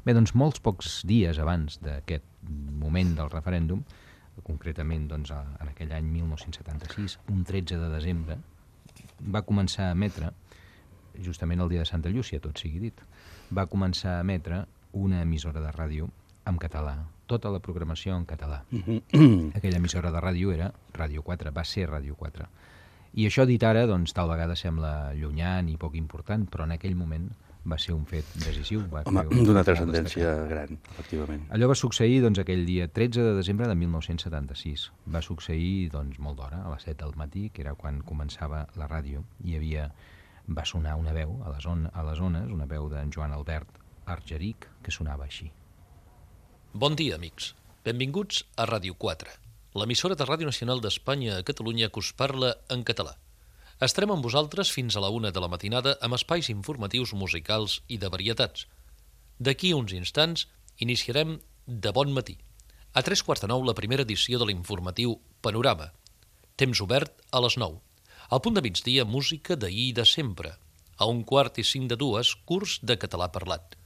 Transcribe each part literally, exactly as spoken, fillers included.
Bé, doncs molts pocs dies abans d'aquest moment del referèndum, concretament doncs, en aquell any mil nou-cents setanta-sis, un tretze de desembre, va començar a emetre, justament el dia de Santa Llúcia, tot sigui dit, va començar a emetre una emissora de ràdio en català, tota la programació en català. Aquella emissora de ràdio era Ràdio quatre, va ser Ràdio quatre. I això dit ara, doncs, tal vegada sembla llunyà i poc important, però en aquell moment va ser un fet decisiu. Va Home, d'una transcendència gran, efectivament. Allò va succeir doncs, aquell dia tretze de desembre de mil nou-cents setanta-sis. Va succeir doncs, molt d'hora, a les set del matí, que era quan començava la ràdio. Hi havia, va sonar una veu a les, on, a les ones, una veu d'en Joan Albert Argeric, que sonava així. Bon dia, amics. Benvinguts a Ràdio quatre, l'emissora de Ràdio Nacional d'Espanya a Catalunya que us parla en català. Estarem amb vosaltres fins a la una de la matinada amb espais informatius musicals i de varietats. D'aquí uns instants iniciarem De bon matí. A tres quarts de nou la primera edició de l'informatiu Panorama. Temps obert a les nou. Al punt de migdia, música d'ahir i de sempre. A un quart i cinc de dues, curs de català parlat.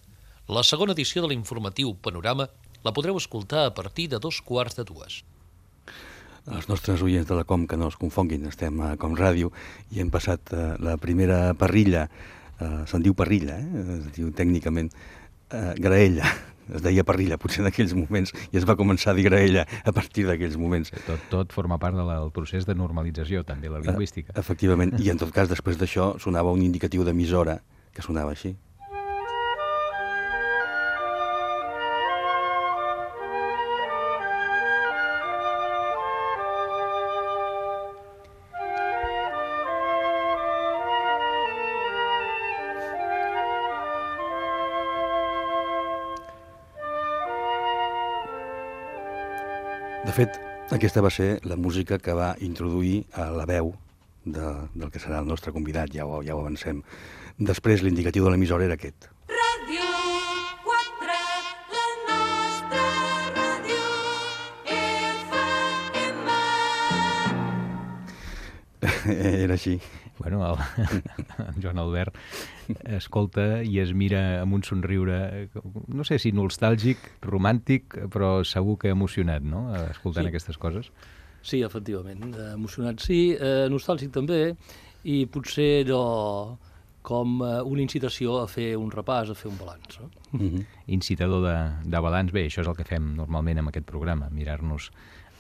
La segona edició de l'informatiu Panorama la podreu escoltar a partir de dos quarts de dues. Els nostres oients de la Com que no es confonguin, estem a Com Ràdio i hem passat uh, la primera parrilla, uh, se'n diu parrilla, eh? Es diu tècnicament uh, graella, es deia parrilla potser en aquells moments i es va començar a dir graella a partir d'aquells moments. Tot, tot forma part del procés de normalització, també la lingüística. Uh, efectivament, i en tot cas després d'això sonava un indicatiu d'emissora que sonava així. De fet, aquesta va ser la música que va introduir a la veu de, del que serà el nostre convidat, ja ho, ja ho avancem. Després, l'indicatiu de l'emissora era aquest. Ràdio quatre, la nostra ràdio, F M. Era així. Bueno, el, el Joan Albert escolta i es mira amb un somriure, no sé si nostàlgic, romàntic, però segur que emocionat, no?, escoltant sí. aquestes coses. Sí, efectivament, emocionat sí, eh, nostàlgic també, i potser allò com una incitació a fer un repàs, a fer un balanç. No? Mm-hmm. Incitador de, de balanç, bé, això és el que fem normalment amb aquest programa, mirar-nos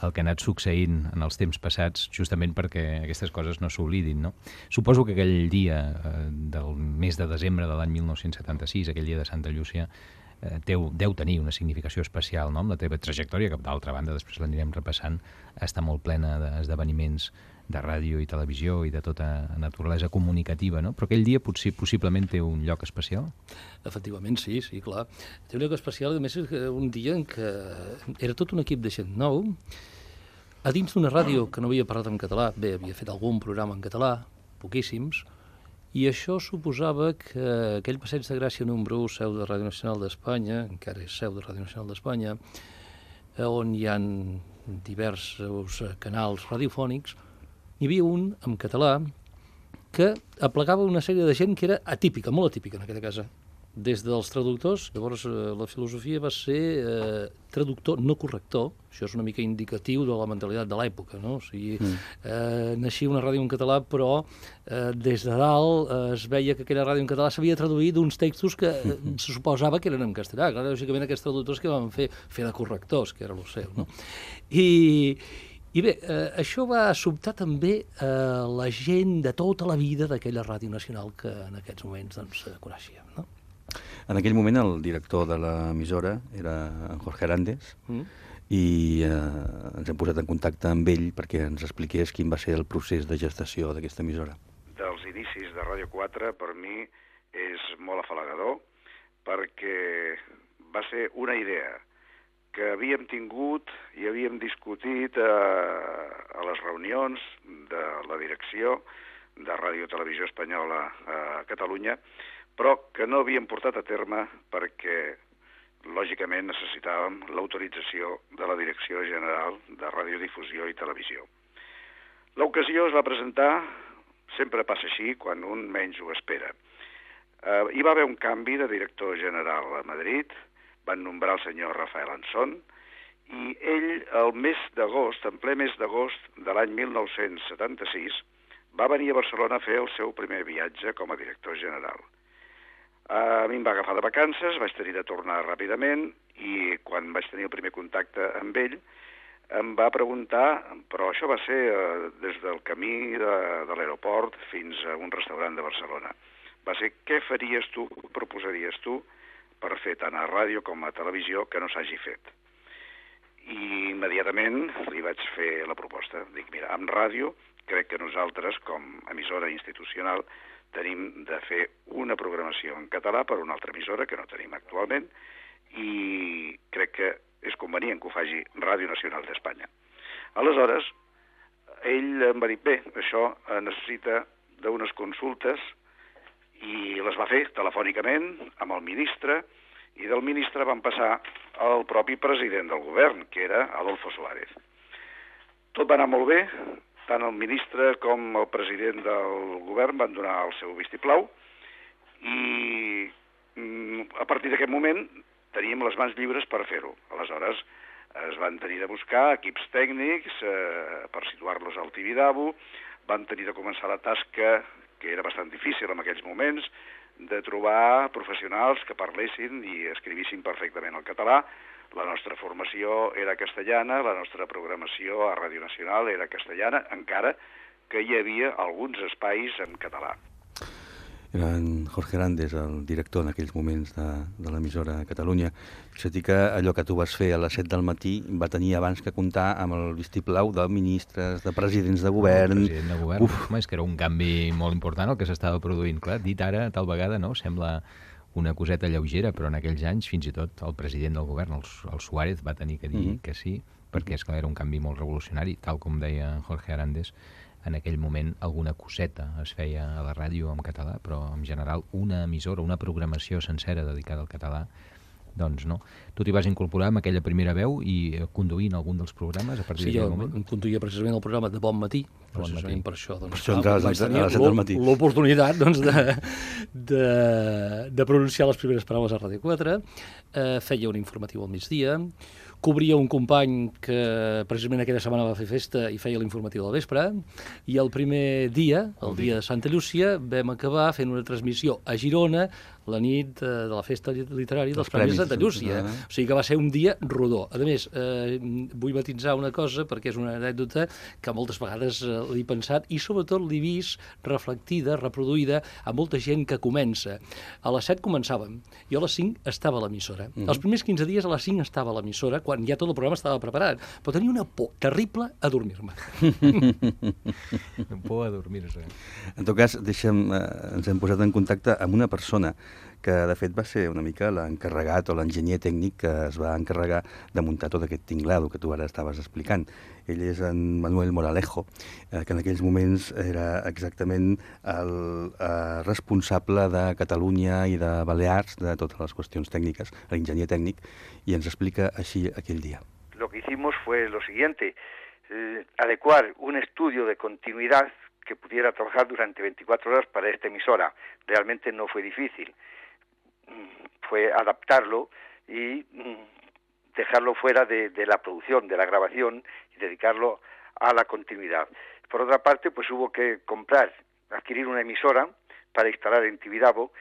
el que ha anat succeint en els temps passats, justament perquè aquestes coses no s'oblidin, no? Suposo que aquell dia eh, del mes de desembre de l'any mil nou-cents setanta-sis, aquell dia de Santa Llúcia, eh, deu, deu tenir una significació especial, no?, amb la teva trajectòria, que d'altra banda, després l'anirem repassant, està molt plena d'esdeveniments de ràdio i televisió i de tota naturalesa comunicativa, no? Però aquell dia potser, possiblement té un lloc especial? Efectivament, sí, sí, clar. Té un lloc especial, a més, és un dia en què era tot un equip de gent nou, a dins d'una ràdio que no havia parlat en català. Bé, havia fet algun programa en català, poquíssims, i això suposava que aquell Passeig de Gràcia número u, seu de Ràdio Nacional d'Espanya, encara és seu de Ràdio Nacional d'Espanya, on hi ha diversos canals radiofònics, hi havia un en català que aplegava una sèrie de gent que era atípica, molt atípica en aquesta casa. Des dels traductors, llavors eh, la filosofia va ser eh, traductor, no corrector, això és una mica indicatiu de la mentalitat de l'època, no? O sigui, mm. eh, naixia una ràdio en català, però eh, des de dalt eh, es veia que aquella ràdio en català s'havia traduït d'uns textos que eh, se suposava que eren en castellà. Clar, lògicament aquests traductors que van fer, fer de correctors, que era el seu, no? I... I bé, eh, això va sobtar també eh, la gent de tota la vida d'aquella ràdio nacional que en aquests moments doncs, coneixíem, no? En aquell moment el director de l'emissora era en Jorge Arandes mm. i eh, ens hem posat en contacte amb ell perquè ens expliqués quin va ser el procés de gestació d'aquesta emissora. Dels inicis de Ràdio quatre per mi és molt afalagador perquè va ser una idea que havíem tingut i havíem discutit a, a les reunions de la direcció de Ràdio Televisió Espanyola a Catalunya, però que no havíem portat a terme perquè, lògicament, necessitàvem l'autorització de la Direcció General de Radiodifusió i Televisió. L'ocasió es va presentar, sempre passa així, quan un menys ho espera. Eh, hi va haver un canvi de director general a Madrid, van nombrar el senyor Rafael Anson, i ell, el mes d'agost, en ple mes d'agost de l'any mil nou-cents setanta-sis, va venir a Barcelona a fer el seu primer viatge com a director general. A mi em va agafar de vacances, vaig tenir de tornar ràpidament, i quan vaig tenir el primer contacte amb ell, em va preguntar, però això va ser eh, des del camí de, de l'aeroport fins a un restaurant de Barcelona. Va ser, què faries tu, què proposaries tu per fer tant a ràdio com a televisió que no s'hagi fet? I immediatament li vaig fer la proposta. Dic, mira, amb ràdio crec que nosaltres, com a emissora institucional, tenim de fer una programació en català per una altra emissora que no tenim actualment, i crec que és convenient que ho faci Ràdio Nacional d'Espanya. Aleshores, ell em va dir, bé, això necessita d'unes consultes, i les va fer telefònicament amb el ministre, i del ministre van passar al propi president del govern, que era Adolfo Suárez. Tot va anar molt bé, tant el ministre com el president del govern van donar el seu vistiplau, i a partir d'aquest moment teníem les mans lliures per fer-ho. Aleshores, es van tenir de buscar equips tècnics eh, per situar-los al Tibidabo, van tenir de començar la tasca, que era bastant difícil en aquells moments, de trobar professionals que parlessin i escrivissin perfectament el català. La nostra formació era castellana, la nostra programació a Ràdio Nacional era castellana, encara que hi havia alguns espais en català. Era en Jorge Arandes, el director en aquells moments de, de l'emissora a Catalunya. És a dir que allò que tu vas fer a les set del matí va tenir abans que comptar amb el vistiplau de ministres, de presidents de govern... El president de govern, Uf. Home, és que era un canvi molt important el que s'estava produint. Clar, dit ara, tal vegada, no? Sembla una coseta lleugera, però en aquells anys, fins i tot, el president del govern, el, el Suárez, va tenir que dir mm-hmm. que sí, perquè és clar, era un canvi molt revolucionari, tal com deia Jorge Arandes. En aquell moment alguna coseta es feia a la ràdio en català, però en general una emissora, una programació sencera dedicada al català, doncs no. Tu t'hi vas incorporar amb aquella primera veu i conduint algun dels programes a partir sí, d'aquell moment? Sí, jo conduïa precisament el programa de Bon Matí, bon precisament matí. per això. Doncs, per això entraves a les set del matí. L'oportunitat doncs, de, de, de pronunciar les primeres paraules a Ràdio quatre, eh, feia un informatiu al migdia, cobria un company que precisament aquella setmana va fer festa i feia l'informatiu del vespre, i el primer dia, el dia de Santa Llúcia, vam acabar fent una transmissió a Girona la nit de la festa literària dels Premis de Santa Llúcia. O sigui que va ser un dia rodó. A més, eh, vull matitzar una cosa, perquè és una anècdota que moltes vegades eh, l'he pensat i sobretot l'he vist reflectida, reproduïda a molta gent que comença. A les set començàvem, jo a les cinc estava a l'emissora. Mm-hmm. Els primers quinze dies a les cinc estava a l'emissora, quan ja tot el programa estava preparat, però tenia una por terrible a dormir-me. Por a dormir-se. En tot cas, deixa'm, eh, ens hem posat en contacte amb una persona que de fet va ser una mica l'encarregat o l'enginyer tècnic que es va encarregar de muntar tot aquest tinglado que tu ara estaves explicant. Ell és en Manuel Moralejo, eh, que en aquells moments era exactament el eh, responsable de Catalunya i de Balears, de totes les qüestions tècniques, l'enginyer tècnic, i ens explica així aquell dia. Lo que hicimos fue lo siguiente, eh, adecuar un estudio de continuidad que pudiera trabajar durante veinticuatro horas para esta emisora. Realmente no fue difícil. Fue adaptarlo y dejarlo fuera de, de la producción, de la grabación, y dedicarlo a la continuidad. Por otra parte, pues hubo que comprar, adquirir una emisora para instalar en Tibidabo,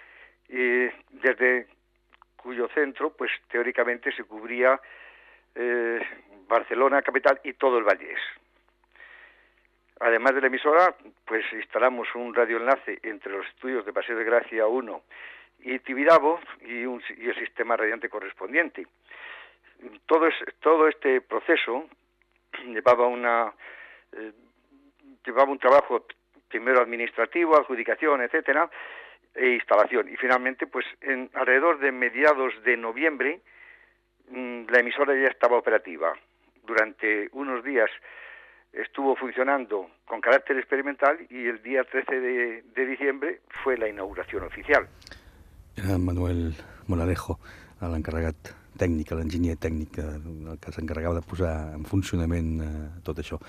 eh, desde cuyo centro, pues teóricamente se cubría eh, Barcelona, capital, y todo el Vallés. Además de la emisora, pues instalamos un radioenlace entre los estudios de Paseo de Gracia uno y Tibidabo y, un, y el sistema radiante correspondiente. Todo, es, todo este proceso llevaba, una, eh, llevaba un trabajo primero administrativo, adjudicación, etcétera, e instalación. Y finalmente, pues en alrededor de mediados de noviembre, mmm, la emisora ya estaba operativa. Durante unos días estuvo funcionando con carácter experimental y el día trece de, de diciembre fue la inauguración oficial. Era Manuel Moralejo, l'encarregat tècnic, l'enginyer tècnic, el que s'encarregava de posar en funcionament eh, tot això.